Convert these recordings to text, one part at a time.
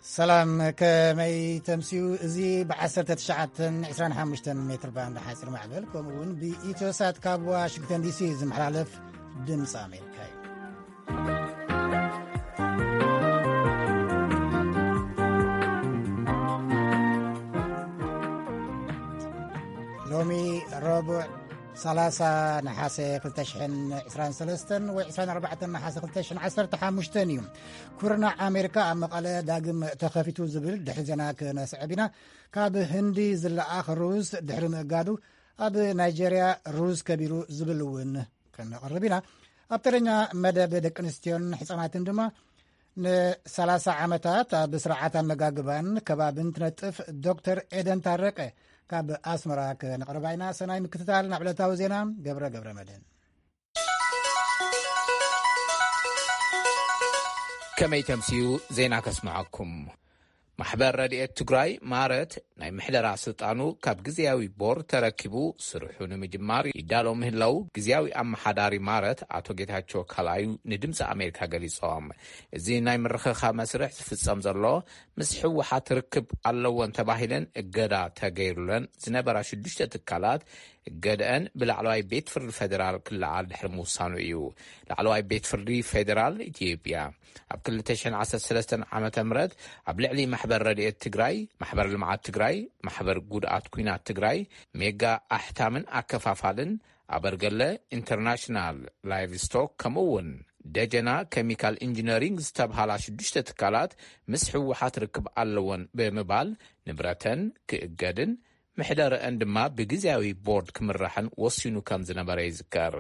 ሰላም፣ ከመይ ተምስዩ? እዚ ብ1925 ሜትር ባንድ ሓፂር ማዕበል፣ ከምኡ እውን ብኢትዮሳት ካብ ዋሽንግተን ዲሲ ዝመሓላለፍ ድምፂ ኣሜሪካ እዩ። ሎሚ ረቡዕ 30 ነሓሰ 2023 ወይ 24 ነሓሰ 2015 እዩ። ኩርናዕ ኣሜሪካ ኣብ መቐለ ዳግም ተኸፊቱ ዝብል ድሕሪ ዜና ክነስዕብ ኢና። ካብ ህንዲ ዝለኣኽ ሩዝ ድሕሪ ምእጋዱ ኣብ ናይጄርያ ሩዝ ከቢሩ ዝብል እውን ከነቕርብ ኢና። ኣብ ተረኛ መደብ ደቂ ኣንስትዮን ሕፃናትን ድማ ን30 ዓመታት ኣብ ስርዓት ኣመጋግባን ከባብን ትነጥፍ ዶክተር ኤደን ታረቀ ካብ ኣስመራ ክነቕርባ ኢና። ሰናይ ምክትታል። ናብ ዕለታዊ ዜና ገብረ ገብረ መድህን። ከመይ ተምስዩ? ዜና ከስምዐኩም። ማሕበር ረድኤት ትግራይ ማረት ናይ ምሕደራ ስልጣኑ ካብ ግዝያዊ ቦርድ ተረኪቡ ስርሑ ንምጅማር ይዳሎ ምህላው ግዝያዊ ኣመሓዳሪ ማረት ኣቶ ጌታቸው ካልኣዩ ንድምፂ ኣሜሪካ ገሊጾም። እዚ ናይ ምርኽኻብ መስርሕ ዝፍጸም ዘሎ ምስ ህወሓት ርክብ ኣለወን ተባሂለን እገዳ ተገይሩለን ዝነበራ ሽዱሽተ ትካላት እገደአን ብላዕለዋይ ቤት ፍርዲ ፌዴራል ክለዓል ድሕሪ ምውሳኑ እዩ። ላዕለዋይ ቤት ፍርዲ ፌዴራል ኢትዮጵያ ኣብ 2013 ዓመተ ምህረት ኣብ ልዕሊ ማሕበር ረድኤት ትግራይ፣ ማሕበር ልምዓት ትግራይ፣ ማሕበር ጉድኣት ኲናት ትግራይ፣ ሜጋ ኣሕታምን ኣከፋፋልን፣ ኣበርገለ ኢንተርናሽናል ላይቭስቶክ፣ ከምኡ እውን ደጀና ኬሚካል ኢንጂነሪንግ ዝተብሃላ ሽዱሽተ ትካላት ምስ ህወሓት ርክብ ኣለወን ብምባል ንብረተን ክእገድን ምሕደረአን ድማ ብግዝያዊ ቦርድ ክምራሕን ወሲኑ ከም ዝነበረ ይዝከር።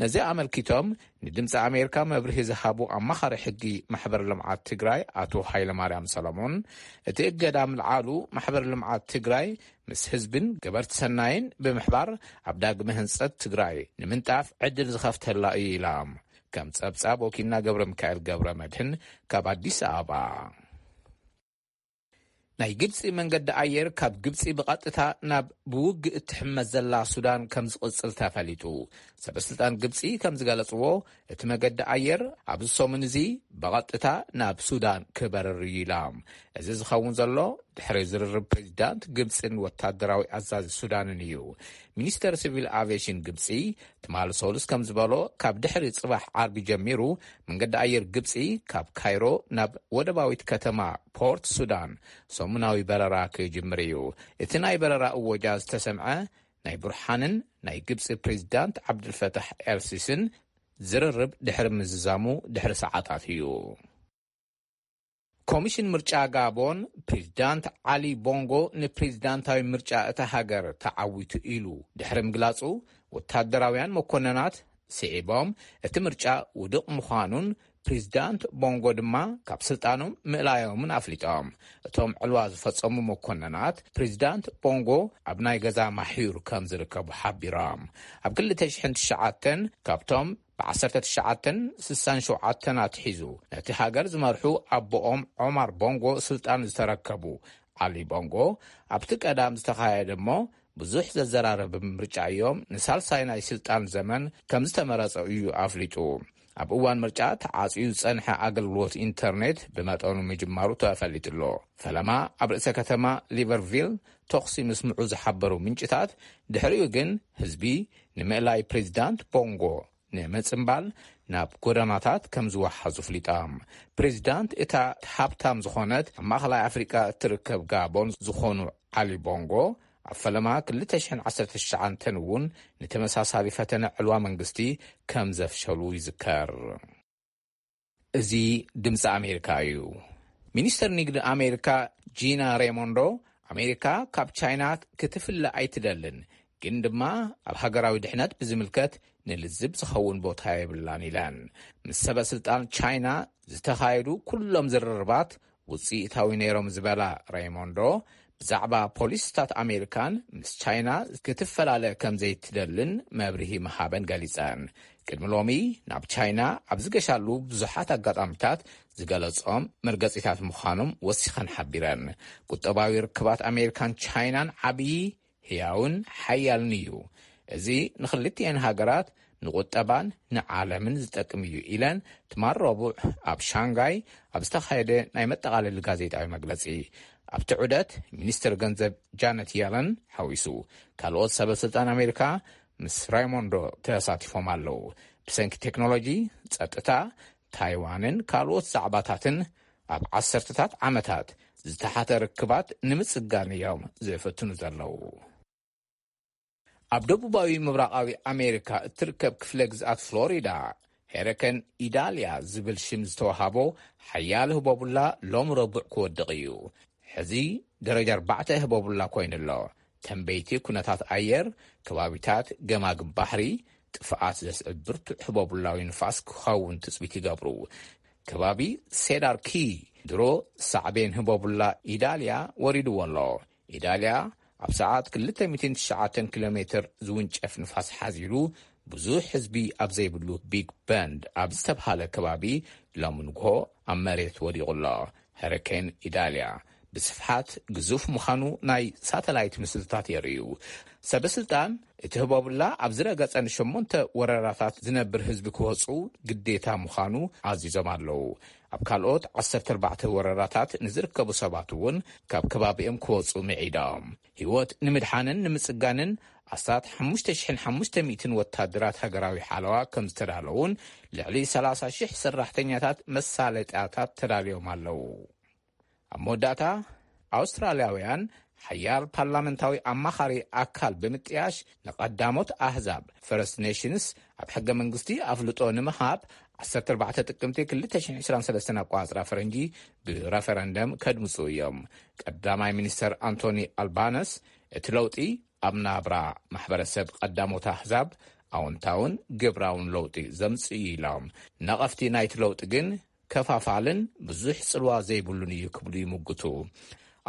ነዚ ኣመልኪቶም ንድምፂ ኣሜሪካ መብርሂ ዝሃቡ ኣማኻሪ ሕጊ ማሕበር ልምዓት ትግራይ ኣቶ ሃይለማርያም ሰለሞን፣ እቲ እገዳ ምልዓሉ ማሕበር ልምዓት ትግራይ ምስ ህዝብን ገበርቲ ሰናይን ብምሕባር ኣብ ዳግመ ህንፀት ትግራይ ንምንጣፍ ዕድል ዝኸፍተላ እዩ ኢሎም። ከም ጸብጻብ ወኪልና ገብረ ሚካኤል ገብረ መድህን ካብ ኣዲስ ኣበባ። ናይ ግብጺ መንገዲ ኣየር ካብ ግብጺ ብቐጥታ ናብ ብውግእ እትሕመስ ዘላ ሱዳን ከም ዝቕጽል ተፈሊጡ። ሰበስልጣን ግብጺ ከም ዝገለጽዎ፣ እቲ መገዲ ኣየር ኣብዚ ሰሙን እዚ ብቐጥታ ናብ ሱዳን ክበርር እዩ ኢሎም። እዚ ዝኸውን ዘሎ ድሕሪ ዝርርብ ፕሬዚዳንት ግብጽን ወታደራዊ ኣዛዚ ሱዳንን እዩ። ሚኒስተር ሲቪል ኣቪዬሽን ግብጺ ትማሊ ሰሉስ ከም ዝበሎ፣ ካብ ድሕሪ ጽባሕ ዓርቢ ጀሚሩ መንገዲ ኣየር ግብጺ ካብ ካይሮ ናብ ወደባዊት ከተማ ፖርት ሱዳን ሰሙናዊ በረራ ክጅምር እዩ። እቲ ናይ በረራ እወጃ ዝተሰምዐ ናይ ቡርሓንን ናይ ግብጺ ፕሬዚዳንት ዓብድልፈታሕ ኤልሲስን ዝርርብ ድሕሪ ምዝዛሙ ድሕሪ ሰዓታት እዩ። ኮሚሽን ምርጫ ጋቦን፣ ፕሬዚዳንት ዓሊ ቦንጎ ንፕሬዚዳንታዊ ምርጫ እታ ሃገር ተዓዊቱ ኢሉ ድሕሪ ምግላጹ፣ ወታደራውያን መኮነናት ስዒቦም፣ እቲ ምርጫ ውዱቕ ምዃኑን ፕሬዚዳንት ቦንጎ ድማ ካብ ስልጣኖም ምእላዮምን ኣፍሊጦም። እቶም ዕልዋ ዝፈጸሙ መኮነናት፣ ፕሬዚዳንት ቦንጎ ኣብ ናይ ገዛ ማሕዩር ከም ዝርከቡ ሓቢሮም። ኣብ 2009 ካብቶም ብ1967 ኣትሒዙ ነቲ ሃገር ዝመርሑ ኣቦኦም ዖማር ቦንጎ ስልጣን ዝተረከቡ ዓሊ ቦንጎ፣ ኣብቲ ቀዳም ዝተኻየደ እሞ ብዙሕ ዘዘራረብ ምርጫ እዮም ንሳልሳይ ናይ ስልጣን ዘመን ከም ዝተመረጸ እዩ ኣፍሊጡ። ኣብ እዋን ምርጫ ተዓጽዩ ዝጸንሐ ኣገልግሎት ኢንተርኔት ብመጠኑ ምጅማሩ ተፈሊጡ ኣሎ። ፈለማ ኣብ ርእሰ ከተማ ሊቨርቪል ተኹሲ ምስምዑ ዝሓበሩ ምንጭታት፣ ድሕሪኡ ግን ህዝቢ ንምእላይ ፕሬዚዳንት ቦንጎ ንምጽምባል ናብ ጎደናታት ከም ዝወሓዙ ኣፍሊጣ። ፕሬዚዳንት እታ ሃብታም ዝኾነት ኣብ ማእኸላይ ኣፍሪቃ እትርከብ ጋቦን ዝኾኑ ዓሊ ቦንጎ፣ ኣብ ፈለማ 2019 እውን ንተመሳሳሊ ፈተነ ዕልዋ መንግስቲ ከም ዘፍሸሉ ይዝከር። እዚ ድምፂ ኣሜሪካ እዩ። ሚኒስተር ንግዲ ኣሜሪካ ጂና ሬሞንዶ፣ ኣሜሪካ ካብ ቻይና ክትፍለ ኣይትደልን፣ ግን ድማ ኣብ ሃገራዊ ድሕነት ብዝምልከት ንልዝብ ዝኸውን ቦታ የብላን ኢለን። ምስ ሰበ ስልጣን ቻይና ዝተኻየዱ ኩሎም ዝርርባት ውፅኢታዊ ነይሮም ዝበላ ሬሞንዶ፣ ብዛዕባ ፖሊሲታት ኣሜሪካን ምስ ቻይና ክትፈላለ ከም ዘይትደልን መብርሂ ምሃበን ገሊጸን። ቅድሚ ሎሚ ናብ ቻይና ኣብ ዝገሻሉ ብዙሓት ኣጋጣሚታት ዝገለጾም መርገጺታት ምዃኖም ወሲኸን ሓቢረን። ቁጠባዊ ርክባት ኣሜሪካን ቻይናን ዓብዪ፣ ህያውን ሓያልን እዩ። እዚ ንኽልቲኤን ሃገራት ንቁጠባን ንዓለምን ዝጠቅም እዩ ኢለን ትማል ረቡዕ ኣብ ሻንጋይ ኣብ ዝተኻየደ ናይ መጠቓለሊ ጋዜጣዊ መግለጺ። ኣብቲ ዑደት ሚኒስትር ገንዘብ ጃነት የለን ሓዊሱ ካልኦት ሰበ ስልጣን ኣሜሪካ ምስ ራይሞንዶ ተሳቲፎም ኣለዉ። ብሰንኪ ቴክኖሎጂ፣ ጸጥታ፣ ታይዋንን ካልኦት ዛዕባታትን ኣብ ዓሰርተታት ዓመታት ዝተሓተ ርክባት ንምጽጋን እዮም ዝፍትኑ ዘለዉ። ኣብ ደቡባዊ ምብራቓዊ ኣሜሪካ እትርከብ ክፍለ ግዝኣት ፍሎሪዳ፣ ሄረከን ኢዳልያ ዝብል ሽም ዝተዋሃቦ ሓያል ህቦቡላ ሎም ረቡዕ ክወድቕ እዩ። ሕዚ ደረጃ ኣርባዕተ ህቦቡላ ኮይኑ ኣሎ። ተንበይቲ ኩነታት ኣየር፣ ከባቢታት ገማግም ባሕሪ፣ ጥፍኣት ዘስዕብ ብርቱዕ ህቦቡላዊ ንፋስ ክኸውን ትጽቢት ይገብሩ። ከባቢ ሴዳር ኪ ድሮ ሳዕቤን ህቦቡላ ኢዳልያ ወሪድዎ ኣሎ። ኢዳልያ ኣብ ሰዓት ክልተ ሚእትን ትሽዓተን ኪሎ ሜትር ዝውንጨፍ ንፋስ ሓዚሉ ብዙሕ ህዝቢ ኣብ ዘይብሉ ቢግ በንድ ኣብ ዝተብሃለ ከባቢ ሎም ንግሆ ኣብ መሬት ወዲቑ ኣሎ። ሀሪኬን ኢዳልያ ብስፍሓት ግዙፍ ምዃኑ ናይ ሳተላይት ምስልታት የርእዩ። ሰበ ስልጣን እቲ ህቦብላ ኣብ ዝረገጸ ንሸሞንተ ወረዳታት ዝነብር ህዝቢ ክወጹ ግዴታ ምዃኑ ኣዚዞም ኣለዉ። ኣብ ካልኦት ዓሰርተ ኣርባዕተ ወረዳታት ንዝርከቡ ሰባት እውን ካብ ከባቢኦም ክወጹ ምዒዶም። ህይወት ንምድሓንን ንምጽጋንን ኣስታት ሓሙሽተ ሽሕን ሓሙሽተ ሚእትን ወታደራት ሃገራዊ ሓለዋ ከም ዝተዳለዉን ልዕሊ ሰላሳ ሽሕ ሰራሕተኛታት መሳለጥያታት ተዳልዮም ኣለዉ። ኣብ መወዳእታ ኣውስትራልያውያን ሓያል ፓርላመንታዊ ኣማኻሪ ኣካል ብምጥያሽ ንቐዳሞት ኣህዛብ ፈርስት ኔሽንስ ኣብ ሕገ መንግስቲ ኣፍልጦ ንምሃብ ዓሰርተ ኣርባዕተ ጥቅምቲ ክልተ ሽሕን ዕስራን ሰለስተን ኣቋጽራ ፈረንጂ ብረፈረንደም ከድምጹ እዮም። ቀዳማይ ሚኒስተር ኣንቶኒ ኣልባነስ እቲ ለውጢ ኣብ ናብራ ማሕበረሰብ ቀዳሞት ኣህዛብ ኣወንታውን ግብራውን ለውጢ ዘምጽእ እዩ ኢሎም። ነቐፍቲ ናይቲ ለውጢ ግን ከፋፋልን ብዙሕ ጽልዋ ዘይብሉን እዩ ክብሉ ይምጉቱ።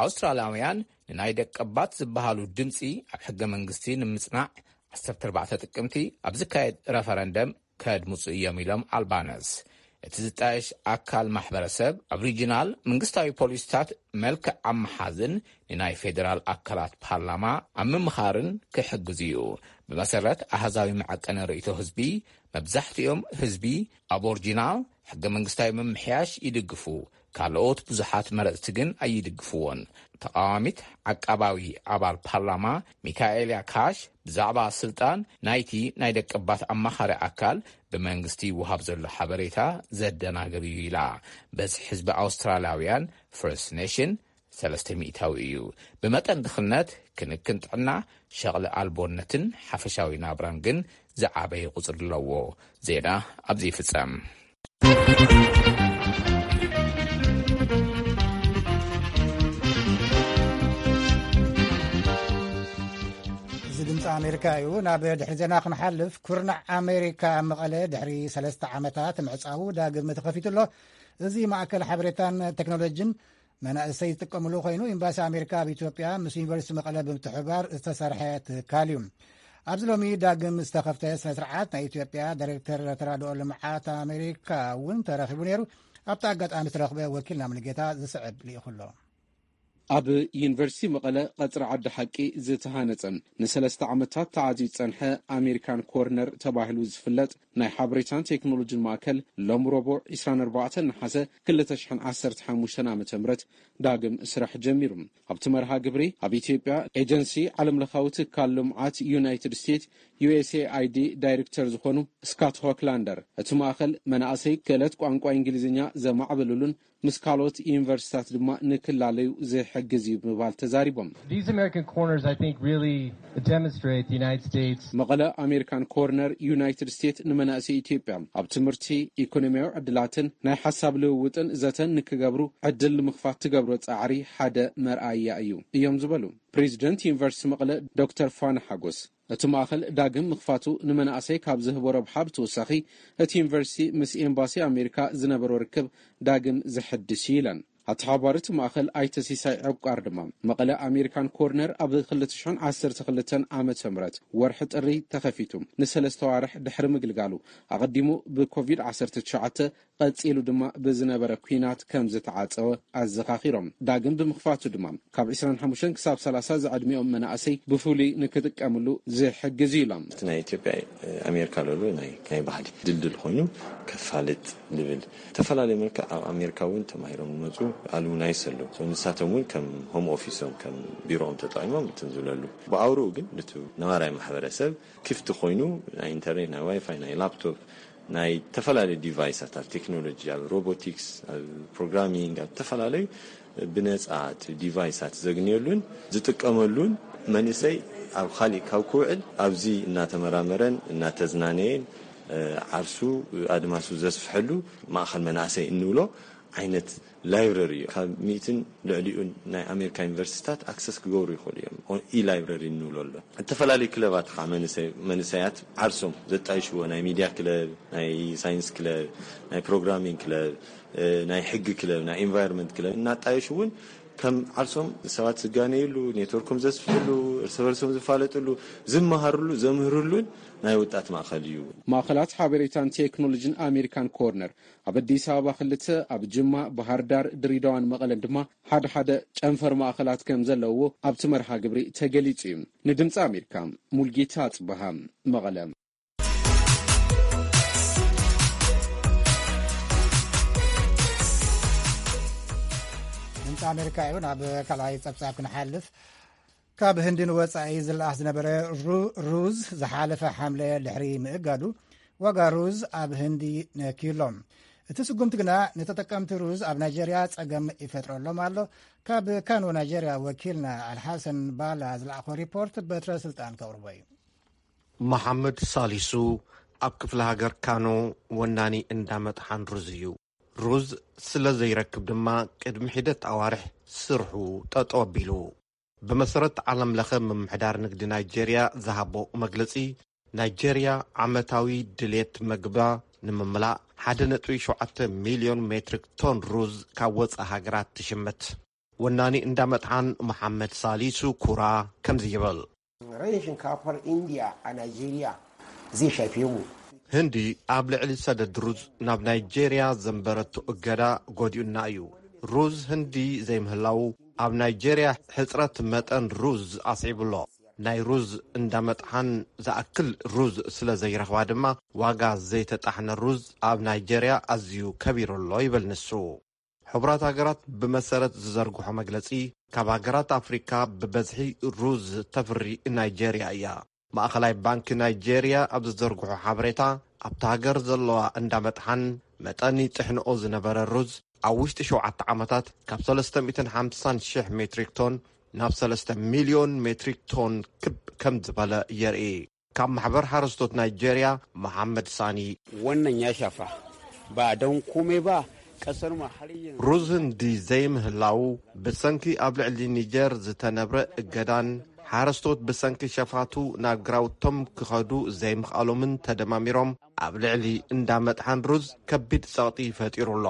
ኣውስትራልያውያን ንናይ ደቀባት ዝበሃሉ ድምጺ ኣብ ሕገ መንግስቲ ንምጽናዕ ዓሰርተ ኣርባዕተ ጥቅምቲ ኣብ ዝካየድ ረፈረንደም ከድምጹ እዮም ኢሎም ኣልባነስ። እቲ ዝጣየሽ ኣካል ማሕበረሰብ ኣብ ሪጂናል መንግስታዊ ፖሊሲታት መልክዕ ኣብ ምሓዝን ንናይ ፌዴራል ኣካላት ፓርላማ ኣብ ምምኻርን ክሕግዝ እዩ። ብመሰረት ኣሃዛዊ መዐቀኒ ርእይቶ ህዝቢ፣ መብዛሕትኦም ህዝቢ ኣቦርጂናል ሕገ መንግስታዊ ምምሕያሽ ይድግፉ። ካልኦት ብዙሓት መረጽቲ ግን ኣይድግፍዎን። ተቓዋሚት ዓቃባዊ ኣባል ፓርላማ ሚካኤልያ ካሽ ብዛዕባ ስልጣን ናይቲ ናይ ደቀባት ኣማኻሪ ኣካል ብመንግስቲ ይወሃብ ዘሎ ሓበሬታ ዘደናግር እዩ ኢላ። በዝሒ ህዝቢ ኣውስትራልያውያን ፈርስት ኔሽን ሰለስተ ሚእታዊ እዩ። ብመጠን ድኽነት፣ ክንክን ጥዕና፣ ሸቕሊ ኣልቦነትን ሓፈሻዊ ናብራን ግን ዝዓበየ ቁጽሪ ኣለዎ። ዜና ኣብዚ ይፍጸም። እዚ ድምፂ ኣሜሪካ እዩ። ናብ ድሕሪ ዜና ክንሓልፍ፣ ኩርናዕ ኣሜሪካ መቐለ ድሕሪ ሰለስተ ዓመታት ምዕፃዉ ዳግም ተኸፊቱ ኣሎ። እዚ ማእከል ሓበሬታን ቴክኖሎጂን መናእሰይ ዝጥቀምሉ ኮይኑ፣ ኤምባሲ ኣሜሪካ ኣብ ኢትዮጵያ ምስ ዩኒቨርሲቲ መቐለ ብምትሕብባር ዝተሰርሐ ትካል እዩ። ኣብዚ ሎሚ ዳግም ዝተኸፍተ ስነ ስርዓት ናይ ኢትዮጵያ ዳይሬክተር ተራድኦ ልምዓት ኣሜሪካ እውን ተረኺቡ ነይሩ። ኣብቲ ኣጋጣሚ ዝተረኽበ ወኪልና ሙሉጌታ ዝስዕብ ልኢኹ ኣሎ። ኣብ ዩኒቨርሲቲ መቐለ ቀጽሪ ዓዲ ሓቂ ዝተሃነጸን ንሰለስተ ዓመታት ተዓጽዩ ዝጸንሐ ኣሜሪካን ኮርነር ተባሂሉ ዝፍለጥ ናይ ሓበሬታን ቴክኖሎጂን ማእከል ሎም ረቡዕ ዕስራን ኣርባዕተን ነሓሰ ክልተ ሽሕን ዓሰርተ ሓሙሽተን ዓመተ ምህረት ዳግም ስራሕ ጀሚሩ። ኣብቲ መርሃ ግብሪ ኣብ ኢትዮጵያ ኤጀንሲ ዓለምለኻዊ ትካል ልምዓት ዩናይትድ ስቴትስ ዩ ኤስ ኤ ኣይ ዲ ዳይሬክተር ዝኾኑ ስካት ሆክላንደር፣ እቲ ማእከል መናእሰይ ክእለት ቋንቋ እንግሊዝኛ ዘማዕብልሉን ምስ ካልኦት ዩኒቨርሲታት ድማ ንክላለዩ ዝሕግዝ እዩ ብምባል ተዛሪቦም። These American corners, I think, really demonstrate the United States. መቐለ ኣሜሪካን ኮርነር ዩናይትድ ስቴትስ ንመናእሰይ ኢትዮጵያ ኣብ ትምህርቲ፣ ኢኮኖሚያዊ ዕድላትን ናይ ሓሳብ ልውውጥን ዘተን ንክገብሩ ዕድል ንምኽፋት ትገብሮ ጻዕሪ ሓደ መርኣያ እዩ እዮም ዝበሉ ፕሬዚደንት ዩኒቨርሲቲ መቐለ ዶክተር ፋና ሓጎስ። እቲ ማእኸል ዳግም ምኽፋቱ ንመናእሰይ ካብ ዝህቦ ረብሓ ብተወሳኺ፣ እቲ ዩኒቨርሲቲ ምስ ኤምባሲ ኣሜሪካ ዝነበሮ ርክብ ዳግም ዘሐድስ እዩ ኢለን። ኣተሓባሪት ማእኸል ኣይተ ሲሳይ ዕቋር ድማ፣ መቐለ ኣሜሪካን ኮርነር ኣብ ክልተ ሽሕን ዓሰርተ ክልተን ዓመተ ምህረት ወርሒ ጥሪ ተኸፊቱ ንሰለስተ ዋርሕ ድሕሪ ምግልጋሉ፣ ኣቐዲሙ ብኮቪድ ዓሰርተ ትሽዓተ ቀጺሉ ድማ ብዝነበረ ኲናት ከም ዝተዓጸወ ኣዘኻኺሮም። ዳግም ብምኽፋቱ ድማ ካብ ዕስራን ሓሙሽተን ክሳብ ሰላሳ ዝዕድሚኦም መናእሰይ ብፍሉይ ንክጥቀምሉ ዝሕግዝ እዩ ኢሎም። እቲ ናይ ኢትዮጵያ ኣሜሪካ ለሎ ናይ ናይ ባህሊ ድልድል ኮይኑ ከፋልጥ ዝብል፣ ዝተፈላለየ መልክዕ ኣብ ኣሜሪካ እውን ተማሂሮም ዝመፁ ኣሉምናይስ ኣለዉ። ንሳቶም እውን ከም ሆም ኦፊሶም ከም ቢሮኦም ተጠቂሞም እንትን ዝብለሉ፣ ብኣውርኡ ግን ነቲ ነባራይ ማሕበረሰብ ክፍቲ ኮይኑ ናይ ኢንተርኔት፣ ናይ ዋይፋይ፣ ናይ ላፕቶፕ፣ ናይ ዝተፈላለዩ ዲቫይሳት ኣብ ቴክኖሎጂ፣ ኣብ ሮቦቲክስ፣ ኣብ ፕሮግራሚንግ፣ ኣብ ዝተፈላለዩ ብነፃ እቲ ዲቫይሳት ዘግንየሉን ዝጥቀመሉን፣ መንእሰይ ኣብ ካሊእ ካብ ክውዕል ኣብዚ እናተመራመረን እናተዝናነየን ዓርሱ ኣድማሱ ዘስፍሐሉ ማእኸል መናእሰይ እንብሎ ዓይነት ላይብረሪ እዩ። ካብ ሚእትን ልዕሊኡን ናይ ኣሜሪካ ዩኒቨርሲቲታት ኣክሰስ ክገብሩ ይኽእሉ እዮም። ኢ ላይብረሪ እንብሎ ኣሎ። ዝተፈላለዩ ክለባት ከዓ መንእሰያት ዓርሶም ዘጣይሽዎ፣ ናይ ሚድያ ክለብ፣ ናይ ሳይንስ ክለብ፣ ናይ ፕሮግራሚንግ ክለብ፣ ናይ ሕጊ ክለብ፣ ናይ ኢንቫይሮንመንት ክለብ እናጣየሹ እውን ከም ዓርሶም ሰባት ዝጋነይሉ፣ ኔትወርኮም ዘስፍሕሉ፣ እርስ በርሶም ዝፋለጥሉ፣ ዝመሃርሉ፣ ዘምህርሉን ናይ ወጣት ማእኸል እዩ። ማእኸላት ሓበሬታን ቴክኖሎጂን ኣሜሪካን ኮርነር ኣብ ኣዲስ ኣበባ ክልተ፣ ኣብ ጅማ፣ ባህር ዳር፣ ድሬዳዋን መቐለን ድማ ሓደ ሓደ ጨንፈር ማእኸላት ከም ዘለውዎ ኣብቲ መርሃ ግብሪ ተገሊጹ እዩ። ንድምፂ ኣሜሪካ ሙልጌታ ኣጽበሃ፣ መቐለ። ድምፂ ኣሜሪካ እዩ። ናብ ካልኣይ ፀብፃብ ክንሓልፍ፣ ካብ ህንዲ ንወፃኢ ዝለኣኽ ዝነበረ ሩዝ ዝሓለፈ ሓምለ ድሕሪ ምእጋዱ፣ ዋጋ ሩዝ ኣብ ህንዲ ነክዩሎ። እቲ ስጉምቲ ግና ንተጠቀምቲ ሩዝ ኣብ ናይጀርያ ፀገም ይፈጥረሎም ኣሎ። ካብ ካኖ ናይጀርያ ወኪልና ኣልሓሰን ባላ ዝለኣኾ ሪፖርት በትረ ስልጣን ከቕርቦ እዩ። መሓመድ ሳሊሱ ኣብ ክፍለ ሃገር ካኖ ወናኒ እንዳ መጥሓን ሩዝ እዩ። ሩዝ ስለ ዘይረክብ ድማ ቅድሚ ሒደት ኣዋርሕ ስርሑ ጠጠው ኣቢሉ። ብመሰረት ዓለም ለኸ ምምሕዳር ንግዲ ናይጀርያ ዝሃቦ መግለጺ፣ ናይጀርያ ዓመታዊ ድሌት መግባ ንምምላእ ሓደ ነጥቢ ሸውዓተ ሚልዮን ሜትሪክ ቶን ሩዝ ካብ ወጻኢ ሃገራት ትሽምት። ወናኒ እንዳ መጥሓን መሓመድ ሳሊሱ ኩራ ከምዚ ይብል። Rashin shinkafar India a Najeriya zai shafe mu. ህንዲ ኣብ ልዕሊ ሰደድ ሩዝ ናብ ናይጀርያ ዘንበረቶ እገዳ ጎዲኡና እዩ። ሩዝ ህንዲ ዘይምህላው ኣብ ናይጀርያ ሕጽረት መጠን ሩዝ ኣስዒቡ ኣሎ። ናይ ሩዝ እንዳ መጥሓን ዝኣክል ሩዝ ስለ ዘይረኽባ ድማ ዋጋ ዘይተጣሕነ ሩዝ ኣብ ናይጀርያ ኣዝዩ ከቢሩ ኣሎ ይብል ንሱ። ሕቡራት ሃገራት ብመሰረት ዝዘርግሖ መግለጺ፣ ካብ ሃገራት ኣፍሪካ ብበዝሒ ሩዝ ተፍሪ ናይጀርያ እያ። ማእኸላይ ባንኪ ናይጀርያ ኣብ ዝዘርግሖ ሓበሬታ፣ ኣብታ ሃገር ዘለዋ እንዳ መጥሓን መጠን ይጥሕንኦ ዝነበረ ሩዝ ኣብ ውሽጢ ሸውዓተ ዓመታት ካብ ሰለስተ ሚእትን ሓምሳን ሽሕ ሜትሪክ ቶን ናብ ሰለስተ ሚልዮን ሜትሪክ ቶን ክብ ከም ዝበለ የርኢ። ካብ ማሕበር ሓረስቶት ናይጀርያ መሓመድ ሳኒ፣ Wannan ya shafa ba don komai ba, kasar mu har yanzu ሩዝ ህንዲ ዘይምህላው ብሰንኪ ኣብ ልዕሊ ኒጀር ዝተነብረ እገዳን ሓረስቶት ብሰንኪ ሸፋቱ ናብ ግራውቶም ክኸዱ ዘይምኽኣሎምን ተደማሚሮም ኣብ ልዕሊ እንዳ መጥሓን ሩዝ ከቢድ ጸቕጢ ፈጢሩ ኣሎ።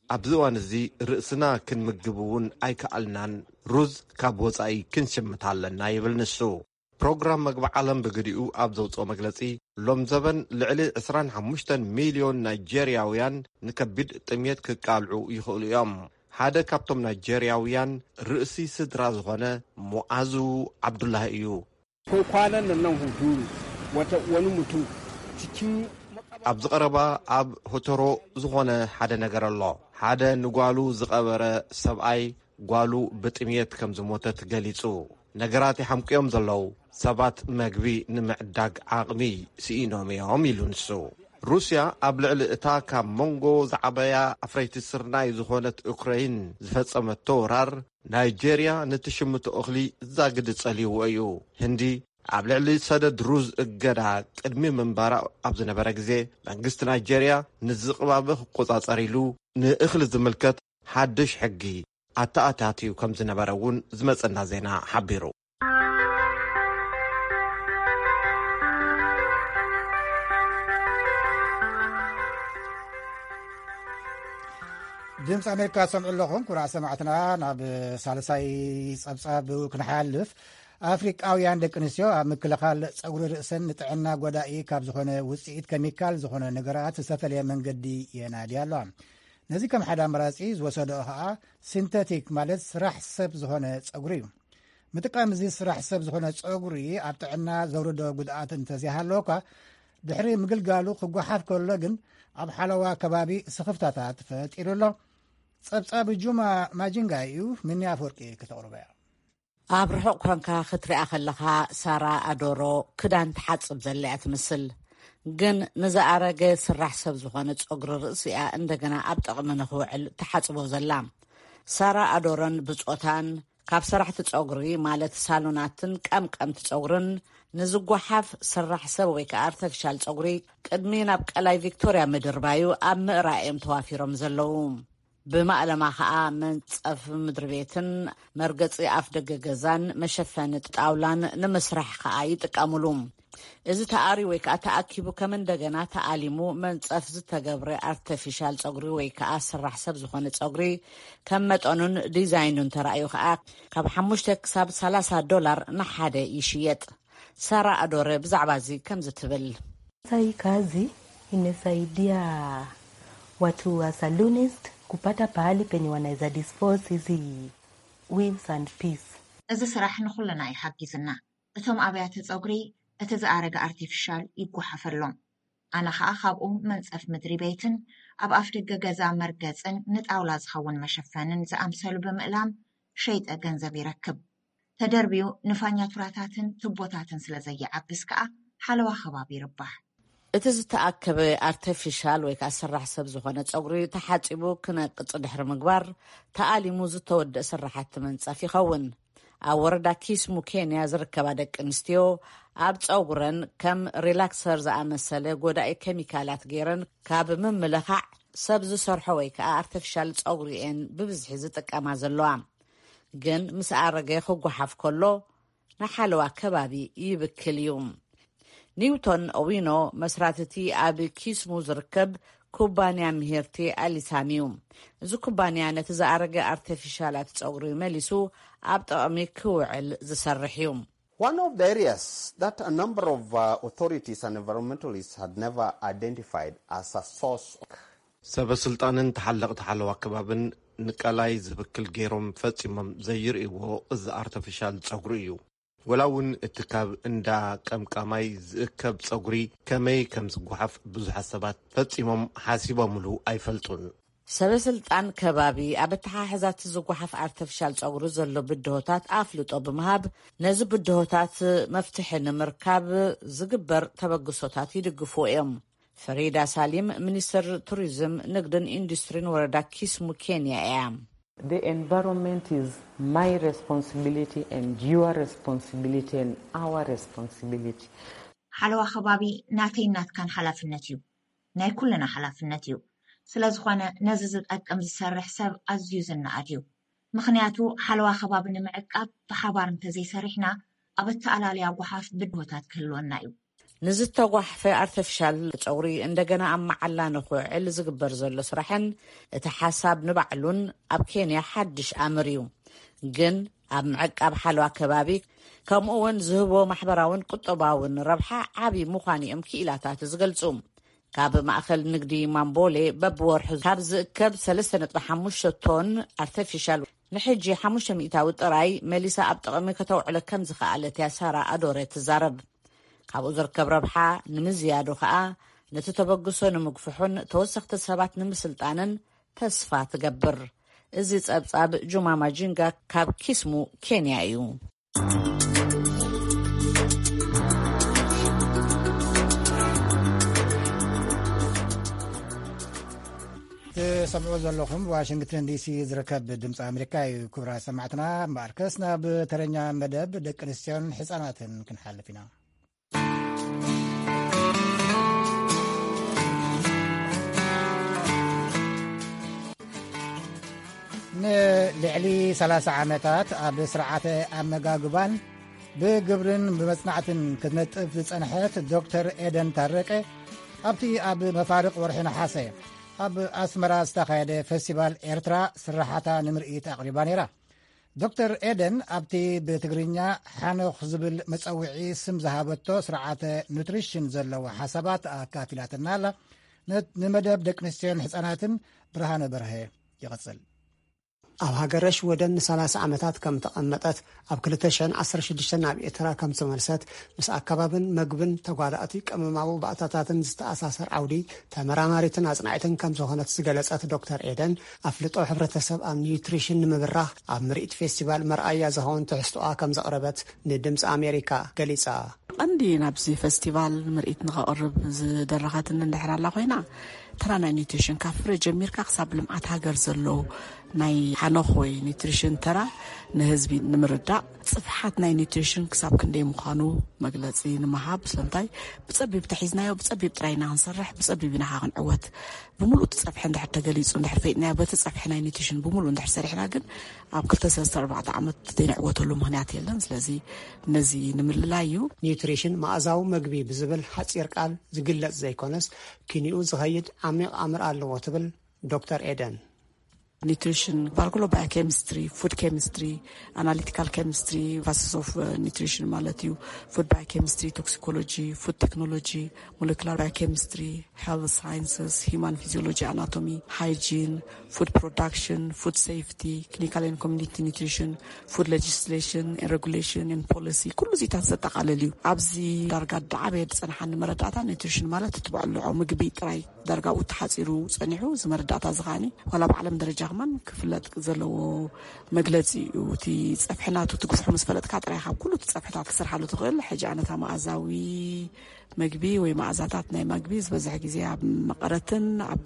ኣብዚ እዋን እዚ ርእስና ክንምግብ እውን ኣይከኣልናን። ሩዝ ካብ ወጻኢ ክንሽምት ኣለና ይብል ንሱ። ፕሮግራም መግቢ ዓለም ብግዲኡ ኣብ ዘውፅኦ መግለፂ፣ ሎም ዘበን ልዕሊ ዕስራን ሓሙሽተን ሚልዮን ናይጀርያውያን ንከቢድ ጥምየት ክቃልዑ ይኽእሉ እዮም። ሓደ ካብቶም ናይጀርያውያን ርእሲ ስድራ ዝኾነ ሙዓዙ ዓብዱላሂ እዩ። Ko kwanan nan nan Hunturu, wata wani mutum cikin ኣብዚ ቀረባ ኣብ ሆተሮ ዝኾነ ሓደ ነገር ኣሎ። ሓደ ንጓሉ ዝቐበረ ሰብኣይ ጓሉ ብጥምየት ከም ዝሞተት ገሊጹ። ነገራት ይሓምቅዮም ዘለዉ ሰባት መግቢ ንምዕዳግ ዓቕሚ ስኢኖም እዮም ኢሉ ንሱ። ሩስያ ኣብ ልዕሊ እታ ካብ መንጎ ዝዓበያ ኣፍረይቲ ስርናይ ዝኾነት ዩክረይን ዝፈጸመቶ ወራር ናይጀርያ ንትሽምቶ እኽሊ ዛግዲ ጸልይዎ እዩ። ህንዲ ኣብ ልዕሊ ሰደድ ሩዝ እገዳ ቅድሚ ምንባራ ኣብ ዝነበረ ግዜ መንግስቲ ናይጀርያ ንዝቕባበ ክቆጻጸር ኢሉ ንእኽሊ ዝምልከት ሓድሽ ሕጊ ኣተኣታትዩ ከም ዝነበረ እውን ዝመጸና ዜና ሓቢሩ። ድምፂ ኣሜሪካ ትሰምዑ ኣለኹም። ኩራ ሰማዕትና፣ ናብ ሳልሳይ ፀብፃብ ክንሓልፍ፣ ኣፍሪቃውያን ደቂ ኣንስትዮ ኣብ ምክልኻል ፀጉሪ ርእሰን ንጥዕና ጎዳኢ ካብ ዝኾነ ውፅኢት ኬሚካል ዝኾነ ነገራት ዝተፈለየ መንገዲ የናድያ ኣለዋ። ነዚ ከም ሓደ ኣማራፂ ዝወሰደኦ ከዓ ሲንተቲክ ማለት ስራሕ ሰብ ዝኾነ ፀጉሪ እዩ። ምጥቃም እዚ ስራሕ ሰብ ዝኾነ ፀጉሪ ኣብ ጥዕና ዘውርዶ ጉድኣት እንተዘይሃለወኳ፣ ድሕሪ ምግልጋሉ ክጓሓፍ ከሎ ግን ኣብ ሓለዋ ከባቢ ስኽፍታታት ፈጢሩ ኣሎ። ጸብጻብ ጁማ ማጂንጋ እዩ። ምኒ ኣፈወርቂ ከተቕርቦ እያ። ኣብ ርሑቕ ኮንካ ክትሪኣ ከለኻ፣ ሳራ ኣዶሮ ክዳን ትሓጽብ ዘላ እያ ትመስል። ግን ንዝኣረገ ስራሕ ሰብ ዝኾነ ጸጉሪ ርእሲ እያ እንደገና ኣብ ጥቕሚ ንኽውዕል ትሓጽቦ ዘላ። ሳራ ኣዶሮን ብጾታን ካብ ሰራሕቲ ጸጉሪ፣ ማለት ሳሎናትን ቀምቀምቲ ጸጉርን፣ ንዝጓሓፍ ስራሕ ሰብ ወይ ከኣ ኣርተፊሻል ጸጉሪ ቅድሚ ናብ ቀላይ ቪክቶርያ ምድርባዩ ኣብ ምእራይ እዮም ተዋፊሮም ዘለዉ። ብማእለማ ከኣ መንጸፍ ምድሪ ቤትን መርገጺ ኣፍ ደገ ገዛን መሸፈኒ ጣውላን ንምስራሕ ከኣ ይጥቀሙሉ። እዚ ተኣሪ ወይ ከኣ ተኣኪቡ ከም እንደገና ተኣሊሙ መንጸፍ ዝተገብረ ኣርተፊሻል ጸጉሪ ወይ ከኣ ስራሕ ሰብ ዝኾነ ጸጉሪ ከም መጠኑን ዲዛይኑን ተራእዩ ከኣ ካብ ሓሙሽተ ክሳብ ሰላሳ ዶላር ንሓደ ይሽየጥ። ሳራ ኣዶረ ብዛዕባ እዚ ከምዚ ትብል። Hii kazi imesaidia watu wa salonist kupata pahali penye wanaweza dispose hizi weaves and piece. እዚ ስራሕ ንኹልና እዩ ሓጊዝና። እቶም ኣብያተ ጸጉሪ እቲ ዝኣረገ ኣርቲፊሻል ይጓሓፈሎም። ኣነ ኸኣ ካብኡ መንጸፍ ምድሪ ቤትን ኣብ ኣፍ ደገ ገዛ መርገጽን ንጣውላ ዝኸውን መሸፈንን ዝኣምሰሉ ብምእላም ሸይጠ ገንዘብ ይረክብ። ተደርብዩ ንፋኛቱራታትን ቱቦታትን ስለ ዘይዓብስ ከኣ ሓለዋ ከባቢ ይርባሕ። እቲ ዝተኣከበ ኣርተፊሻል ወይ ከኣ ሰራሕ ሰብ ዝኾነ ጸጉሪ ተሓጺቡ ክነቅጽ ድሕሪ ምግባር፣ ተኣሊሙ ዝተወደእ ስራሓቲ መንጸፍ ይኸውን። ኣብ ወረዳ ኪስሙ ኬንያ ዝርከባ ደቂ ኣንስትዮ ኣብ ጸጉረን ከም ሪላክሰር ዝኣመሰለ ጎዳኢ ኬሚካላት ገይረን ካብ ምምልኻዕ ሰብ ዝሰርሖ ወይ ከኣ ኣርተፊሻል ጸጉሪ እየን ብብዝሒ ዝጥቀማ ዘለዋ። ግን ምስ ኣረገ ክጓሓፍ ከሎ ንሓለዋ ከባቢ ይብክል እዩ። ኒውቶን ኦዊኖ መስራትቲ ኣብ ኪስሙ ዝርከብ ኩባንያ ምሂርቲ ኣሊሳም እዩ። እዚ ኩባንያ ነቲ ዝኣረገ ኣርተፊሻላት ጸጉሪ መሊሱ ኣብ ጥቕሚ ክውዕል ዝሰርሕ እዩ። One of the areas that a number of uh, authorities and environmentalists had never identified as a source. ሰበ ስልጣንን ተሓለቕቲ ሓለዋ ከባብን ንቀላይ ዝብክል ገይሮም ፈጺሞም ዘይርእይዎ እዚ ኣርተፊሻል ጸጉሪ እዩ። ወላ እውን እቲ ካብ እንዳ ቀምቃማይ ዝእከብ ጸጉሪ ከመይ ከም ዝጓሓፍ ብዙሓት ሰባት ፈጺሞም ሓሲቦምሉ ኣይፈልጡን። ሰበ ስልጣን ከባቢ ኣብ ኣተሓሕዛቲ ዝጓሓፍ ኣርተፊሻል ጸጉሪ ዘሎ ብድሆታት ኣፍልጦ ብምሃብ፣ ነዚ ብድሆታት መፍትሒ ንምርካብ ዝግበር ተበግሶታት ይድግፉ እዮም። ፈሪዳ ሳሊም፣ ሚኒስትር ቱሪዝም፣ ንግድን ኢንዱስትሪን ወረዳ ኪስሙ ኬንያ እያ። The environment is my responsibility and your responsibility and our ressibility. ሓለዋ ከባቢ ናተይ ናትካን ሓላፍነት እዩ። ናይ ኩልና ሓላፍነት እዩ። ስለ ዝኾነ ነዚ ዝጠቅም ዝሰርሕ ሰብ ኣዝዩ ዝነኣድ እዩ። ምኽንያቱ ሓለዋ ከባቢ ንምዕቃብ ብሓባር እንተዘይሰሪሕና ኣብ ኣተኣላልያ ጓሓፍ ብድሆታት ክህልወና እዩ። ንዝተጓሕፈ ኣርተፊሻል ጸጉሪ እንደገና ኣብ መዓላ ንኽውዕል ዝግበር ዘሎ ስራሕን እቲ ሓሳብ ንባዕሉን ኣብ ኬንያ ሓድሽ ኣምር እዩ። ግን ኣብ ምዕቃብ ሓለዋ ከባቢ ከምኡ እውን ዝህቦ ማሕበራውን ቁጠባውን ረብሓ ዓቢ ምዃኑ እዮም ክኢላታት ዝገልጹ። ካብ ማእኸል ንግዲ ማምቦሌ በብወርሑ ካብ ዝእከብ ሰለስተ ነጥቢ ሓሙሽተ ቶን ኣርተፊሻል ንሕጂ ሓሙሽተ ሚእታዊ ጥራይ መሊሳ ኣብ ጥቕሚ ከተውዕሎ ከም ዝኸኣለት እያ ሳራ ኣዶረ ትዛረብ። ካብኡ ዝርከብ ረብሓ ንምዝያዱ ኸኣ ነቲ ተበግሶ ንምግፍሑን ተወሰኽቲ ሰባት ንምስልጣንን ተስፋ ትገብር። እዚ ጸብጻብ ጁማ ማጂንጋ ካብ ኪስሙ ኬንያ እዩ። ትሰምዑ ዘለኹም ዋሽንግተን ዲሲ ዝርከብ ድምፂ ኣሜሪካ እዩ። ክቡራት ሰማዕትና፣ እምበኣርከስ ናብ ተረኛ መደብ ደቂ ኣንስትዮን ህፃናትን ክንሓልፍ ኢና። ንልዕሊ ሰላሳ ዓመታት ኣብ ስርዓተ ኣመጋግባን ብግብርን ብመጽናዕትን ክትነጥፍ ዝጸንሐት ዶክተር ኤደን ታረቀ፣ ኣብቲ ኣብ መፋርቕ ወርሒ ነሓሰ ኣብ ኣስመራ ዝተኻየደ ፈስቲቫል ኤርትራ ስራሓታ ንምርኢት ኣቕሪባ ነይራ። ዶክተር ኤደን ኣብቲ ብትግርኛ ሓኖኽ ዝብል መጸውዒ ስም ዝሃበቶ ስርዓተ ኑትሪሽን ዘለዎ ሓሳባት ኣካፊላትና ኣላ። ነ-፣ ንመደብ ደቂ ኣንስትዮን ህጻናትን ብርሃነ በርሀ ይቕጽል። ኣብ ሃገረ ሽወደን ንሰላሳ ዓመታት ከም ተቐመጠት፣ ኣብ ክልተ ሽሕን ዓሰርተ ሽዱሽተን ናብ ኤርትራ ከም ተመልሰት፣ ምስ ኣከባብን መግብን ተጓዳእቲ ቀመማዊ ባእታታትን ዝተኣሳሰር ዓውዲ ተመራማሪትን ኣጽናዒትን ከም ዝኾነት ዝገለጸት ዶክተር ኤደን፣ ኣፍልጦ ሕብረተሰብ ኣብ ኒውትሪሽን ንምብራኽ ኣብ ምርኢት ፌስቲቫል መርኣያ ዝኸውን ትሕዝቶኣ ከም ዘቕረበት ንድምፂ ኣሜሪካ ገሊጻ። ቀንዲ ናብዚ ፈስቲቫል ምርኢት ንኸቕርብ ዝደረኸትኒ እንድሕር ኣላ ኮይና፣ ተራ ናይ ኒውትሪሽን ካብ ፍረ ጀሚርካ ክሳብ ልምዓት ሃገር ዘሎ ናይ ሓኖኽ ወይ ኒውትሪሽን ተራ ንህዝቢ ንምርዳእ፣ ጽፍሓት ናይ ኒውትሪሽን ክሳብ ክንደይ ምዃኑ መግለጺ ንምሃብ። ስለምንታይ ብጸቢብ ተሒዝናዮ፣ ብጸቢብ ጥራይ ኢና ክንሰርሕ፣ ብጸቢብ ኢና ክንዕወት። ብምሉእ እቲ ጸፍሒ እንድሕር ተገሊጹ፣ እንድሕር ፈይጥናዮ፣ በቲ ጸፍሒ ናይ ኒውትሪሽን ብምሉእ እንድሕር ሰሪሕና ግን ኣብ ክልተ፣ ሰለስተ፣ ኣርባዕተ ዓመት ዘይንዕወተሉ ምኽንያት የለን። ስለዚ ነዚ ንምልላይ እዩ። ኒውትሪሽን መኣዛዊ መግቢ ብዝብል ሓጺር ቃል ዝግለጽ ዘይኮነስ፣ ኪንኡ ዝኸይድ ዓሚቕ ኣምር ኣለዎ ትብል ዶክተር ኤደን። ኒውትሪሽን ባርኩሎ ባዮኬሚስትሪ፣ ፉድ ኬሚስትሪ፣ ኣናሊቲካል ኬሚስትሪ፣ ፋስስ ኦፍ ኒውትሪሽን ማለት እዩ። ፉድ ባዮኬሚስትሪ፣ ቶክሲኮሎጂ፣ ፉድ ቴክኖሎጂ፣ ሞለኩላር ባዮኬሚስትሪ፣ ሄልት ሳይንስስ፣ ሂማን ፊዚዮሎጂ፣ ኣናቶሚ፣ ሃይጂን፣ ፉድ ፕሮዳክሽን፣ ፉድ ሴፍቲ፣ ክሊኒካል ኤንድ ኮሚኒቲ ኒውትሪሽን፣ ፉድ ሌጂስሌሽን ኤንድ ሬጉሌሽን ኤንድ ፖሊሲ፣ ኩሉ ዚታት ዘጠቓልል እዩ። ኣብዚ ዳርጋ ዳዓበየ ዝጸንሓኒ መረዳእታ ኒውትሪሽን ማለት እቲ በዕልዖ ምግቢ ጥራይ ዳርጋ ኣብኡ ተሓጺሩ ጸኒሑ፣ እዚ መረዳእታ እዚ ከኣኒ ዋላ ኣብ ዓለም ደረጃ ከማን ክፍለጥ ዘለዎ መግለጺ እዩ። እቲ ጸፍሒ ናቱ ትግፍሑ ምስ ፈለጥካ ጥራይ ካብ ኩሉ እቲ ጸፍሕታት ክስርሓሉ ትኽእል። ሕጂ ኣነታ መኣዛዊ መግቢ ወይ መኣዛታት ናይ መግቢ ዝበዝሕ ግዜ ኣብ መቐረትን ኣብ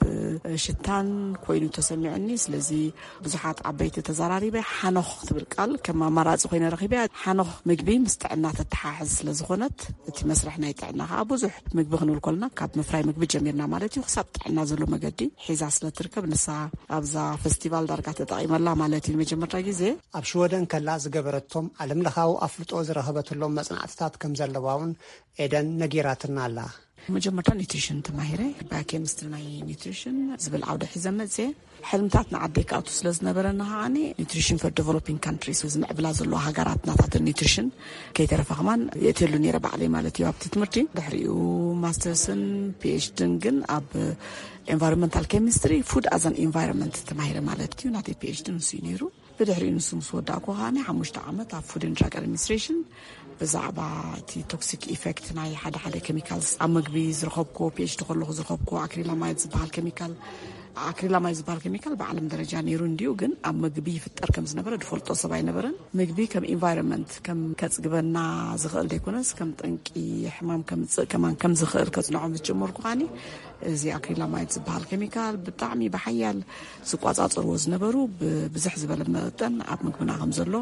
ሽታን ኮይኑ ተሰሚዑኒ። ስለዚ ብዙሓት ዓበይቲ ተዘራሪበ ሓኖኽ ትብል ቃል ከም ኣማራጺ ኮይነ ረኺበያ። ሓኖኽ ምግቢ ምስ ጥዕና ተተሓሕዝ ስለ ዝኾነት እቲ መስርሕ ናይ ጥዕና ከዓ ብዙሕ ምግቢ ክንብል ከለና ካብ ምፍራይ ምግቢ ጀሚርና ማለት እዩ ክሳብ ጥዕና ዘሎ መገዲ ሒዛ ስለ ትርከብ ንሳ ኣብዛ ፈስቲቫል ዳርጋ ተጠቒመላ ማለት እዩ ንመጀመርታ ግዜ። ኣብ ሽወደን ከላ ዝገበረቶም ዓለም ለኻዊ ኣፍልጦ ዝረኸበትሎም መጽናዕትታት ከም ዘለዋ እውን ኤደን ነጊራትና ኣላ። መጀመርታ ኒትሪሽን ተማሂረ፣ ባዮኬሚስትሪ ናይ ኒትሪሽን ዝብል ዓውደ ሒዘ መፅየ። ሕልምታት ንዓደይ ክኣቱ ስለ ዝነበረና ከዓኒ ኒትሪሽን ፎር ዴቨሎፒንግ ካንትሪስ፣ ዝምዕብላ ዘለዋ ሃገራት ናታተን ኒትሪሽን ከይተረፈ ከማን የእትየሉ ነይረ ባዕለይ ማለት እዩ ኣብቲ ትምህርቲ። ድሕሪኡ ማስተርስን ፒኤችዲን ግን ኣብ ኤንቫይሮንመንታል ኬሚስትሪ ፉድ ኣዘን ኤንቫይሮንመንት ተማሂረ ማለት እዩ። ናተይ ፒኤችዲ ንሱ እዩ ነይሩ። ብድሕሪኡ ንሱ ምስ ወዳእኩ ከዓኒ ሓሙሽተ ዓመት ኣብ ፉድ ኤንድ ድራግ ኣድሚኒስትሬሽን ብዛዕባ እቲ ቶክሲክ ኢፌክት ናይ ሓደ ሓደ ኬሚካልስ ኣብ ምግቢ ዝረኸብኩዎ፣ ፒኤችዲ ከለኹ ዝረኸብኩዎ ኣክሪላማይድ ዝበሃል ኬሚካል፣ ኣክሪላማይድ ዝበሃል ኬሚካል ብዓለም ደረጃ ነይሩ እንድዩ፣ ግን ኣብ ምግቢ ይፍጠር ከም ዝነበረ ዝፈልጦ ሰብ ኣይነበረን። ምግቢ ከም ኢንቫይሮንመንት ከም ከጽግበና ዝኽእል ዘይኮነስ ከም ጠንቂ ሕማም ከምጽእ ከማን ከም ዝኽእል ከጽንዖ ምስ ጀመርኩ ከዓኒ እዚ ኣክሪላማይድ ዝበሃል ኬሚካል ብጣዕሚ ብሓያል ዝቋጻጸርዎ ዝነበሩ ብብዝሕ ዝበለ መጠን ኣብ ምግብና ከም ዘሎ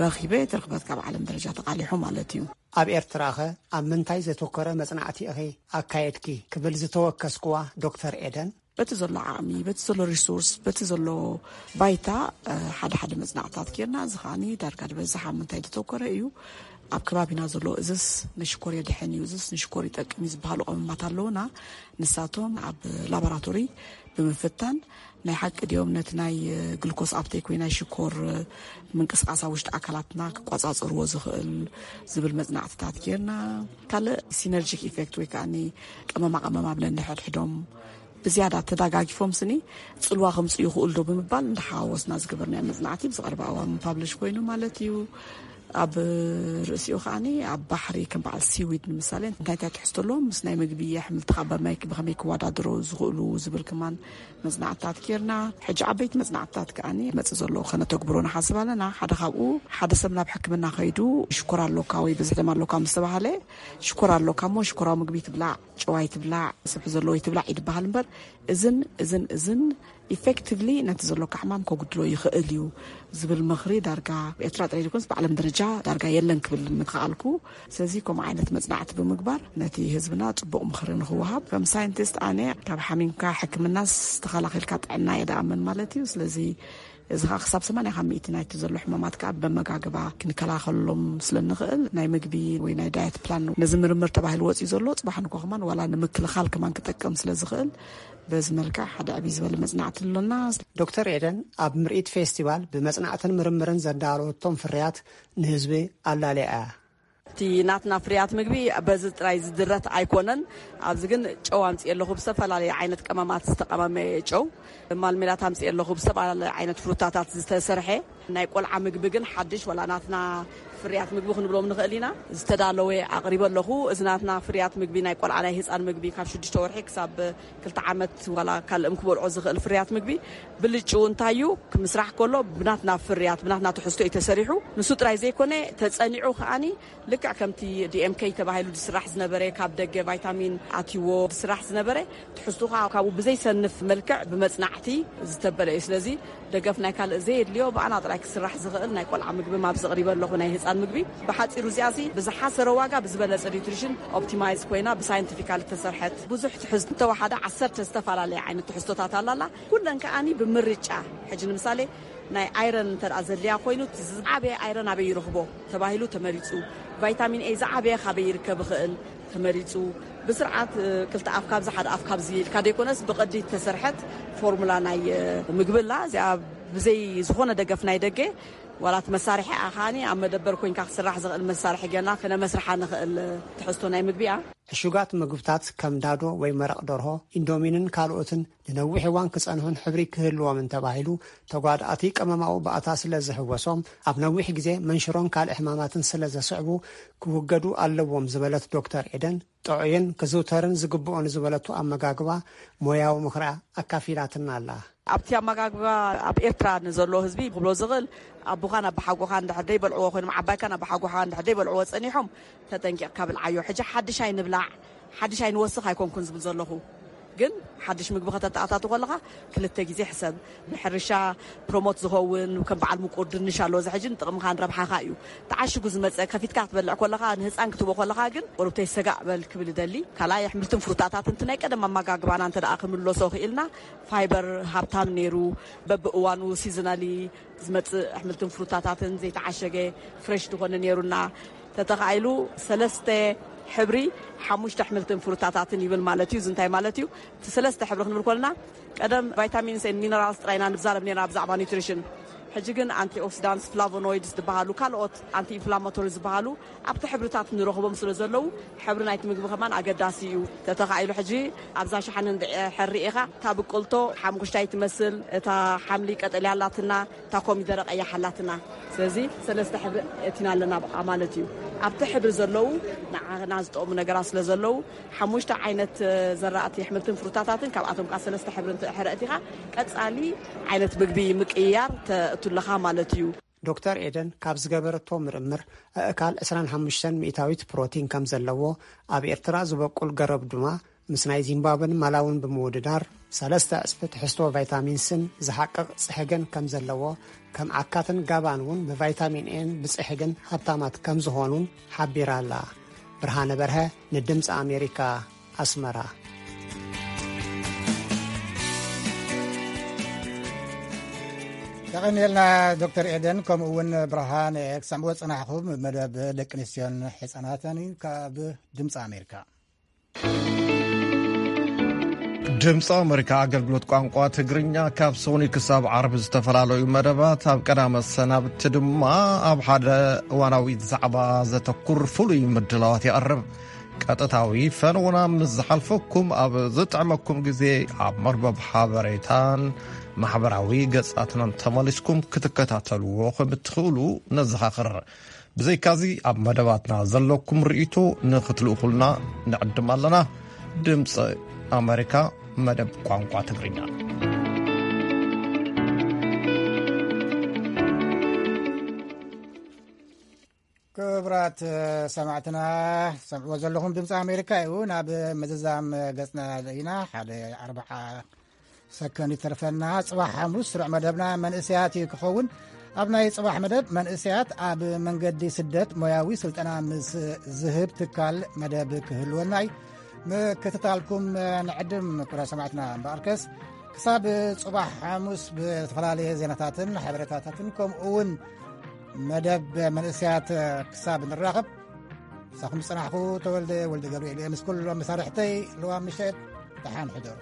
ረኺበ፣ እቲ ርኽበት ካብ ዓለም ደረጃ ተቓሊሑ ማለት እዩ። ኣብ ኤርትራኸ ኣብ ምንታይ ዘተኮረ መጽናዕቲ ኢኺ ኣካየድኪ ክብል ዝተወከስኩዋ ዶክተር ኤደን፣ በቲ ዘሎ ዓቕሚ፣ በቲ ዘሎ ሪሶርስ፣ በቲ ዘሎ ባይታ፣ እ፣ ሓደ ሓደ መጽናዕትታት ጌርና። እዚ ከዓኒ ዳርጋ ዝበዝሕ ኣብ ምንታይ ዝተኮረ እዩ? ኣብ ከባቢና ዘሎ እዝስ ንሽኮር የድሕን እዩ፣ እዝስ ንሽኮር ይጠቅም እዩ ዝበሃሉ ቀመማት ኣለዉና። ንሳቶም ኣብ ላቦራቶሪ ብምፍታን ናይ ሓቂ ድዮም ነቲ ናይ፣ እ፣ ግሉኮስ ኣፕቴክ ወይ ናይ ሽኮር፣ እ፣ ምንቅስቃስ ኣብ ውሽጢ ኣካላትና ክቆጻጸርዎ ዝኽእል ዝብል መጽናዕትታት ጌርና። ካልእ ሲነርጂክ ኢፌክት ወይ ከዓኒ ቀመማ ቀመም ኣብ ነንሕድሕዶም ብዝያዳ ተዳጋጊፎም ስኒ ጽልዋ ከምጽኡ ይኽእሉ ዶ ብምባል እንዳሓዋወስና ዝገበርናዮ መጽናዕቲ ብዝቐርባ እዋን ፓብሊሽ ኮይኑ ማለት እዩ። ኣብ ርእሲኡ ከዓኒ ኣብ ባሕሪ ከም በዓል ሲዊድ ንምሳሌ እንታይ እንታይ ትሕዝቶ ኣለዎም፣ ምስ ናይ ምግቢ ኣሕምልቲ ካብ በማይ ብኸመይ ክወዳደሩ ዝኽእሉ ዝብል ከማን መጽናዕትታት ጌርና። ሕጂ ዓበይቲ መጽናዕትታት ከዓኒ መጽእ ዘሎ ከነተግብሮ ንሓስብ ኣለና። ሓደ ካብኡ ሓደ ሰብ ናብ ሕክምና ከይዱ ሽኮር ኣሎካ ወይ ብዝሒ ደም ኣሎካ ምስ ተባሃለ ሽኮር ኣሎካ እሞ ሽኮራዊ ምግቢ ትብላዕ፣ ጨዋይ ትብላዕ፣ ስብሒ ዘለዎ ይትብላዕ ይድበሃል እምበር እዝን እዝን እዝን ኢፌክቲቭሊ ነቲ ዘሎካ ሕማም ከጉድሎ ይኽእል እዩ ዝብል ምኽሪ ዳርጋ ኤርትራ ጥራይ ዘይኮነስ ብዓለም ደረጃ ዳርጋ የለን ክብል ምክኣልኩ። ስለዚ ከምኡ ዓይነት መጽናዕቲ ብምግባር ነቲ ህዝብና ጽቡቕ ምኽሪ ንኽወሃብ ከም ሳይንቲስት ኣነ ካብ ሓሚምካ ሕክምናስ ተኸላኺልካ ጥዕና እየ ደኣምን ማለት እዩ። ስለዚ እዚ ከዓ ክሳብ ሰማንያ ካብ ሚእቲ ናይቲ ዘሎ ሕማማት ከዓ ብመጋግባ ክንከላኸሎም ስለ ንኽእል፣ ናይ ምግቢ ወይ ናይ ዳየት ፕላን ነዚ ምርምር ተባሂሉ ወፂኡ ዘሎ፣ ፅባሕ ንኮ ከማን ዋላ ንምክልኻል ከማን ክጠቅም ስለ ዝኽእል፣ በዚ መልክዕ ሓደ ዕብይ ዝበለ መፅናዕቲ ኣሎና። ዶክተር ኤደን ኣብ ምርኢት ፌስቲቫል ብመፅናዕትን ምርምርን ዘዳለወቶም ፍርያት ንህዝቢ ኣላልያ እያ። እቲ ናትና ፍርያት ምግቢ በዚ ጥራይ ዝድረት ኣይኮነን። ኣብዚ ግን ጨው ኣምፅእ ኣለኹ፣ ብዝተፈላለየ ዓይነት ቀመማት ዝተቀመመ ጨው። ማልሜላት ኣምፅእ ኣለኹ፣ ብዝተፈላለየ ዓይነት ፍሩታታት ዝተሰርሐ። ናይ ቆልዓ ምግቢ ግን ሓድሽ፣ ዋላ ናትና ፍርያት ምግቢ ክንብሎም ንኽእል ኢና፣ ዝተዳለወ ኣቕሪበ ኣለኹ። እዚ ናትና ፍርያት ምግቢ ናይ ቆልዓ፣ ናይ ህፃን ምግቢ ካብ ሽዱሽተ ወርሒ ክሳብ ክልተ ዓመት ዋላ ካልእም ክበልዖ ዝኽእል ፍርያት ምግቢ ብልጭው እንታይ እዩ ክምስራሕ ከሎ ብናትና ፍርያት፣ ብናትና ትሕዝቶ እዩ ተሰሪሑ። ንሱ ጥራይ ዘይኮነ፣ ተጸኒዑ ከኣኒ ልክዕ ከምቲ ዲኤምኬ ተባሂሉ ዝስራሕ ዝነበረ፣ ካብ ደገ ቫይታሚን ኣትይዎ ዝስራሕ ዝነበረ፣ ትሕዝቱ ከዓ ካብኡ ብዘይሰንፍ መልክዕ ብመጽናዕቲ ዝተበለ እዩ። ስለዚ ደገፍ ናይ ካልእ ዘየድልዮ፣ ብኣና ጥራይ ክስራሕ ዝኽእል ናይ ቆልዓ ምግቢ ኣብዚ ኣቕሪበ ኣለኹ፣ ናይ ህፃን ምግቢ። ብሓፂሩ እዚኣሲ ብዝሓሰረ ዋጋ ብዝበለፀ ኒውትሪሽን ኦፕቲማይዝ ኮይና ብሳይንቲፊካል እተሰርሐት፣ ብዙሕ ትሕዝቶ እንተወሓደ ዓሰርተ ዝተፈላለየ ዓይነት ትሕዝቶታት ኣላላ። ኩለን ከኣኒ ብምርጫ፣ ሕጂ ንምሳሌ ናይ ኣይረን እንተ ደኣ ዘድልያ ኮይኑ፣ እቲ ዝዓበየ ኣይረን ኣበይ ይረኽቦ ተባሂሉ ተመሪጹ። ቫይታሚን ኤ ዝዓበየ ካበይ ይርከብ ይኽእል ተመሪጹ። ብስርዓት፣ እ፣ ክልተ ኣፍ ካብዚ ሓደ ኣፍ ካብዚ ኢልካ ደይኮነስ፣ ብቕዲ እተሰርሐት ፎርሙላ ናይ፣ እ፣ ምግቢ ኣላ። እዚኣ ብዘይ ዝኾነ ደገፍ ናይ ደገ፣ ዋላ እቲ መሳርሒ ኣኻኒ ኣብ መደበር ኮይንካ ክስራሕ ዝኽእል መሳርሒ ገና ክነመስርሓ ንኽእል ትሕዝቶ ናይ ምግቢ እያ። ዕሹጋት ምግብታት ከም ዳዶ ወይ መረቕ ደርሆ፣ ኢንዶሚንን ካልኦትን ንነዊሕ እዋን ክጸንሑን ሕብሪ ክህልዎምን ተባሂሉ፣ ተጓዳእቲ ቀመማዊ ባእታ ስለ ዝህወሶም፣ ኣብ ነዊሕ ግዜ መንሽሮን ካልእ ሕማማትን ስለ ዘስዕቡ፣ ክውገዱ ኣለዎም ዝበለት ዶክተር ኤደን፣ ጥዑይን ክዝውተርን ዝግብኦ ንዝበለቶ ኣመጋግባ ሞያዊ ምኽራ ኣካፊላትና ኣላ። ኣብቲ ኣመጋግባ ኣብ ኤርትራ ንዘሎ ህዝቢ ክብሎ ዝኽእል፣ ኣቦኻን ኣቦሓጎኻን እንድሕር ደይበልዕዎ ኮይኖም፣ ዓባይካን ኣቦሓጎኻን እንድሕር ደይበልዕዎ ጸኒሖም፣ ተጠንቂቕካ ብልዓዮ። ሕጂ ሓድሽ ኣይንብላዕ፣ ሓድሽ ኣይንወስኽ ኣይኮንኩን ዝብል ዘለኹ። ግን ሓድሽ ምግቢ ከተተኣታቱ ከለኻ ክልተ ግዜ ሕሰብ። ንሕርሻ ፕሮሞት ዝኸውን ከም በዓል ምቁር ድንሽ ኣሎ፣ እዚ ሕጂ ንጥቕምኻን ረብሓኻ እዩ። ተዓሽጉ ዝመጸ ከፊትካ ክትበልዕ ከለኻ፣ ንህፃን ክትቦ ከለኻ ግን ቁሩብተይ ሰጋእ በል ክብል እደሊ። ካልኣይ ኣሕምልትን ፍሩታታትን እቲ ናይ ቀደም ኣመጋግባና እንተ ደኣ ክምለሶ ክኢልና፣ ፋይበር ሃብታም ነይሩ፣ በብእዋኑ ሲዝናሊ ዝመጽእ ኣሕምልትን ፍሩታታትን ዘይተዓሸገ ፍሬሽ ዝኾነ ነይሩና። ተተኻኢሉ ሰለስተ ሕብሪ ሓሙሽተ ኣሕምልትን ፍሩታታትን ይብል ማለት እዩ። እዚ እንታይ ማለት እዩ? እቲ ሰለስተ ሕብሪ ክንብል ከለና፣ ቀደም ቫይታሚንስ ኤንድ ሚነራልስ ጥራይ ኢና ንዛረብ ነርና ብዛዕባ ኒውትሪሽን። ሕጂ ግን ኣንቲኦክሲዳንትስ፣ ፍላቮኖይድስ ዝበሃሉ፣ ካልኦት ኣንቲ ኢንፍላማቶሪ ዝበሃሉ ኣብቲ ሕብርታት ንረኽቦም ስለ ዘለዉ፣ ሕብሪ ናይቲ ምግቢ ከማን ኣገዳሲ እዩ። ተተኻኢሉ ሕጂ ኣብዛ ሸሓነ እንድሕር ርኢኻ፣ እታ ብቁልቶ ሓሙኽሽታይ ትመስል፣ እታ ሓምሊ ቀጠልያ ኣላትና፣ እታ ኮሚደረ ቀያሕ ኣላትና። ስለዚ ሰለስተ ሕብሪ እቲና ኣለና ብኣ ማለት እዩ። ኣብቲ ሕብሪ ዘለዉ ንዓና ዝጠቕሙ ነገራት ስለ ዘለዉ፣ ሓሙሽተ ዓይነት፣ እ፣ ዘራእቲ ኣሕምልትን ፍሩታታትን፣ ካብኣቶም ከኣ ሰለስተ ሕብሪ እንተ ሕረ እቲኻ፣ ቀጻሊ ዓይነት ምግቢ ምቅይያር ተእቱ ኣለኻ ማለት እዩ። ዶክተር ኤደን ካብ ዝገበረቶ ምርምር፣ ኣእካል ዕስራን ሓሙሽተን ሚእታዊት ፕሮቲን ከም ዘለዎ፣ ኣብ ኤርትራ ዝበቁል ገረብ ድማ ምስ ናይ ዚምባብን ማላውን ብምውድዳር፣ ሰለስተ ዕጽፊ ትሕዝቶ ቫይታሚን ስን ዝሓቅቕ ጽሕግን ከም ዘለዎ፣ ከም ዓካትን ጋባን እውን ብቫይታሚን ኤን ብጽሕግን ሃብታማት ከም ዝኾኑን ሓቢራ ኣላ። ብርሃነ በርሀ፣ ንድምፂ ኣሜሪካ፣ ኣስመራ። የቐንየልና ዶክተር ኤደን፣ ከምኡ እውን ብርሃነ። ክሰምዕዎ ዝጸናሕኹም መደብ ደቂ ኣንስትዮን ሕጻናትን እዩ ካብ ድምፂ ኣሜሪካ። ድምፂ ኣሜሪካ ኣገልግሎት ቋንቋ ትግርኛ ካብ ሰኑይ ክሳብ ዓርቢ ዝተፈላለዩ መደባት፣ ኣብ ቀዳመ ሰናብቲ ድማ ኣብ ሓደ እዋናዊ ዛዕባ ዘተኩር ፍሉይ ምድላዋት የቕርብ። ቀጥታዊ ፈነውና ምስ ዝሓልፈኩም፣ ኣብ ዝጥዕመኩም ግዜ ኣብ መርበብ ሓበሬታን ማሕበራዊ ገጻትናን ተመሊስኩም ክትከታተልዎ ከም እትኽእሉ ነዘኻኽር። ብዘይካዚ፣ ኣብ መደባትና ዘለኩም ርእይቶ ንኽትልእኹልና ንዕድም ኣለና። ድምፂ ኣሜሪካ፣ መደብ ቋንቋ ትግርኛ። ክቡራት ሰማዕትና፣ ሰምዕዎ ዘለኹም ድምፂ ኣሜሪካ እዩ። ናብ ምዝዛም ገፅና ኢና። ሓደ ኣርብዓ ሰከንድ ይተርፈና። ጽባሕ ሓሙስ ስሩዕ መደብና መንእሰያት እዩ ክኸውን። ኣብ ናይ ጽባሕ መደብ፣ መንእሰያት ኣብ መንገዲ ስደት ሞያዊ ስልጠና ምስ ዝህብ ትካል መደብ ክህልወና እዩ። ምክትታልኩም ንዕድም፣ ክቡራት ሰማዕትና። እምበኣርከስ፣ ክሳብ ጽባሕ ሓሙስ ብዝተፈላለየ ዜናታትን ሓበሬታታትን ከምኡ እውን መደብ መንእሰያት ክሳብ ንራኸብ፣ ሳኹም ዝጸናሕኩ ተወልደ ወልደ ገብርኤል እየ። ምስ ኩሎም መሳርሕተይ ልዋ ምሸት ደሓን ሕደሩ።